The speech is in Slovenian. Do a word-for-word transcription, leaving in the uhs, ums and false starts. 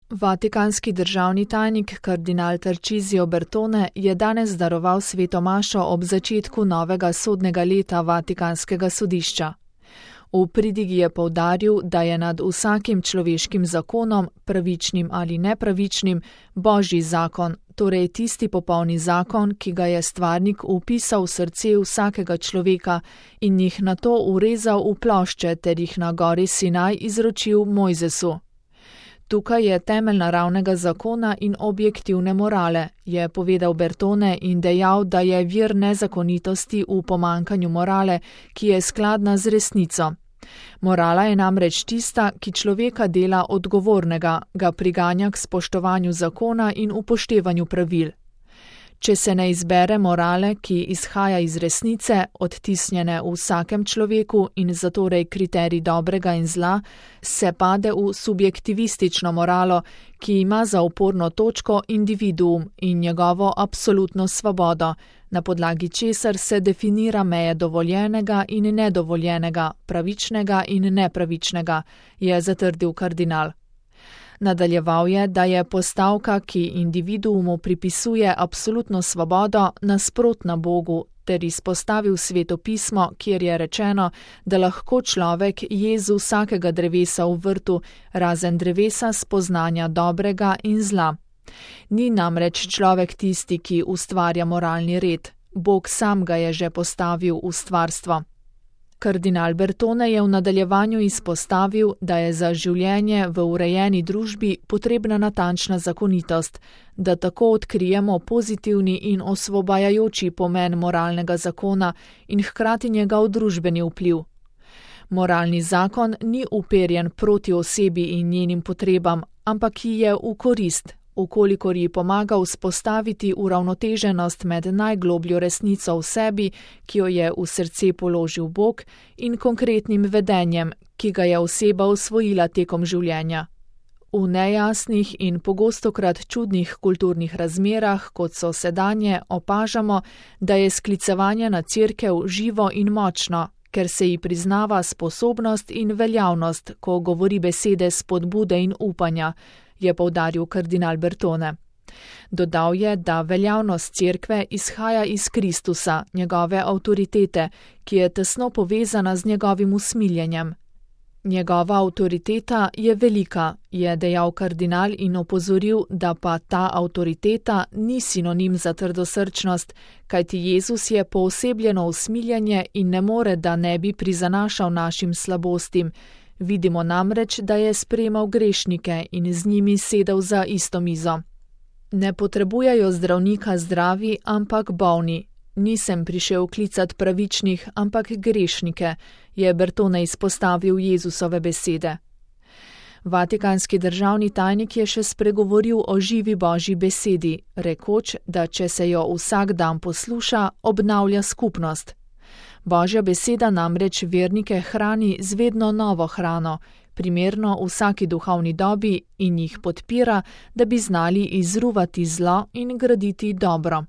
Vatikanski državni tajnik kardinal Tarcisio Bertone je danes daroval sveto mašo ob začetku novega sodnega leta Vatikanskega sodišča. V pridigi je poudaril, da je nad vsakim človeškim zakonom, pravičnim ali nepravičnim, božji zakon, torej tisti popolni zakon, ki ga je stvarnik vpisal v srce vsakega človeka in jih nato urezal v plošče ter jih na gori Sinaj izročil Mojzesu. Tukaj je temelj naravnega zakona in objektivne morale, je povedal Bertone in dejal, da je vir nezakonitosti v pomanjkanju morale, ki je skladna z resnico. Morala je namreč tista, ki človeka dela odgovornega, ga priganja k spoštovanju zakona in upoštevanju pravil. Če se ne izbere morale, ki izhaja iz resnice, odtisnjene v vsakem človeku in zatorej kriterij dobrega in zla, se pade v subjektivistično moralo, ki ima za oporno točko individuum in njegovo absolutno svobodo, na podlagi česar se definira meje dovoljenega in nedovoljenega, pravičnega in nepravičnega, je zatrdil kardinal. Nadaljeval je, da je postavka, ki individuumu pripisuje absolutno svobodo, nasprotna Bogu, ter izpostavil Sveto pismo, kjer je rečeno, da lahko človek je z vsakega drevesa v vrtu, razen drevesa spoznanja dobrega in zla. Ni namreč človek tisti, ki ustvarja moralni red, Bog sam ga je že postavil v stvarstvo. Kardinal Bertone je v nadaljevanju izpostavil, da je za življenje v urejeni družbi potrebna natančna zakonitost, da tako odkrijemo pozitivni in osvobajajoči pomen moralnega zakona in hkrati njegov družbeni vpliv. Moralni zakon ni uperjen proti osebi in njenim potrebam, ampak ji je v korist, ukolikor ji pomaga vzpostaviti uravnoteženost med najglobljo resnico v sebi, ki jo je v srce položil Bog, in konkretnim vedenjem, ki ga je oseba osvojila tekom življenja. V nejasnih in pogostokrat čudnih kulturnih razmerah, kot so sedanje, opažamo, da je sklicevanje na Cerkev živo in močno, ker se ji priznava sposobnost in veljavnost, ko govori besede spodbude in upanja, je poudaril kardinal Bertone. Dodal je, da veljavnost Cerkve izhaja iz Kristusa, njegove avtoritete, ki je tesno povezana z njegovim usmiljenjem. Njegova avtoriteta je velika, je dejal kardinal in opozoril, da pa ta avtoriteta ni sinonim za trdosrčnost, kajti Jezus je poosebljeno usmiljenje in ne more, da ne bi prizanašal našim slabostim. Vidimo namreč, da je sprejemal grešnike in z njimi sedel za isto mizo. Ne potrebujejo zdravnika zdravi, ampak bolni. Nisem prišel klicat pravičnih, ampak grešnike, je Bertone izpostavil Jezusove besede. Vatikanski državni tajnik je še spregovoril o živi božji besedi, rekoč, da če se jo vsak dan posluša, obnavlja skupnost. Božja beseda namreč vernike hrani z vedno novo hrano, primerno vsaki duhovni dobi in jih podpira, da bi znali izruvati zlo in graditi dobro.